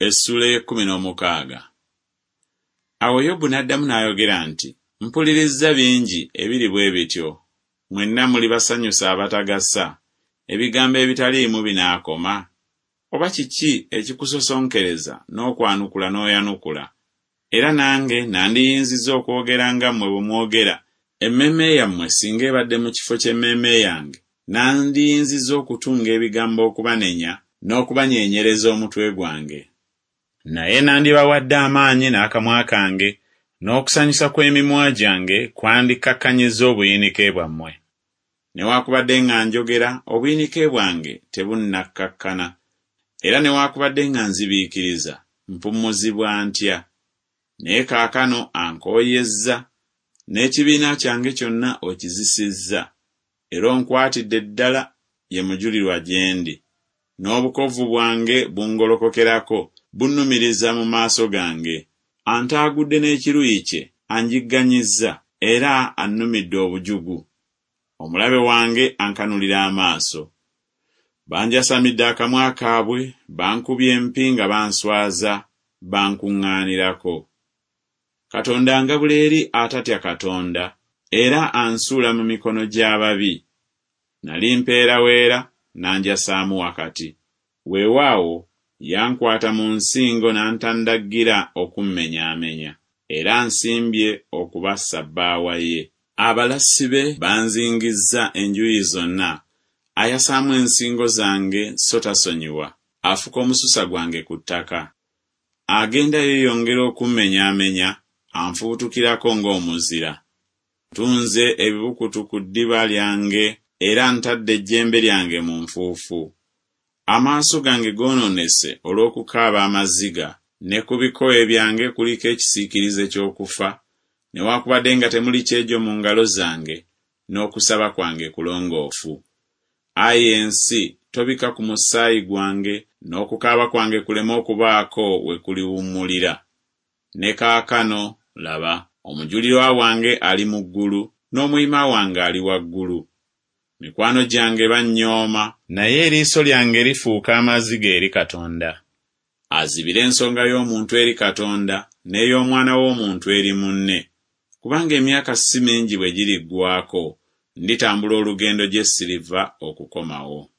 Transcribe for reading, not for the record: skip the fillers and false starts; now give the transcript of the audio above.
Essuula ey'ekkumi n'omukaaga. Awo Yobu n'addamu n'ayogera nti, Mpulirizza bingi ebiri bwe bityo, mwenna muli basanyusa abatagasa, ebigambo ebitaliimu binaakoma? Oba kiki ekikusosonkereza n'okwanukula n'oyanukula? Era nange nandiyinzizza okwogera nga mmwe bwe mwogera, emmeeme yammwe singa ebadde mu kifo ky'emmeeme yange, nandiyinzizza okutunga ebigambo okubanenya n'okubanyeenyereza omutwe gwange. Naye nandibawadde amaanyi n'akamwa kange, n'okusanyusa kw'emimwa gyange kwandikkakkanyizza obuyinike bwammwe. Newakubadde nga njogera, obuyinike bwange tebunnakkakkana, era newakubadde nga nzibiikiriza, mpummuzibwa ntya? Naye kaakano ankooyezza, n'ekibiina kyange kyonna okizisizza, era onkwatidde ddala ye mujulirwa gye ndi, n'obukovvu bwange bungolokokerako, bunnumiriza mu maaso gange. Antaagudde n'ekiruyi kye, anjigganyizza, era annumidde obujugu. Omulabe wange ankanulira amaaso. Banjasamidde akamwa kaabwe, bankubye empi nga banswaza, bankuŋŋaanirako. Katonda angabula eri atatya Katonda, era ansuula mu mikono gy'ababi. Nali mpeeraweera, n'anjasaamu wakati. Weewaawo, yankwata mu nsingo n'antandaggira okummenyaamenya, era ansimbye okuba ssabbaawa ye. Abalasi be banzingizza enjuyi zonna, ayasaamu ensingo zange so tasonyiwa, afuka omususa gwange ku ttaka. Agenda yeeyongera okummenyaamenya, anfubutukirako ng'omuzira. Ntunze ebibukutu ku ddiba lyange era ntadde ejjembe lyange mu nfuufu. Amaaso gange goonoonese olw'okukaaba amaziga, ne ku bikowe byange kuliko ekisiikirize ky'okufa, newakubadde nga temuli kyejo mu ngalo zange, n'okusaba kwange kulongoofu. Ayi ensi, tobikka ku musaayi gwange, n'okukaaba kwange kuleme okubaako we kuliwummulira. Ne kaakano, laba, omujulirwa wange ali mu ggulu, n'omuyima wange ali waggulu. Mikwano gyange bannyooma. Naye eriiso lyange lifuuka amaziga eri Katonda. Azibire ensonga y'omuntu eri Katonda, n'ey'omwana w'omuntu eri munne. Kubanga emyaka si mingi bwe giriggwaako, nditambula olugendo gye siriva okukomawo.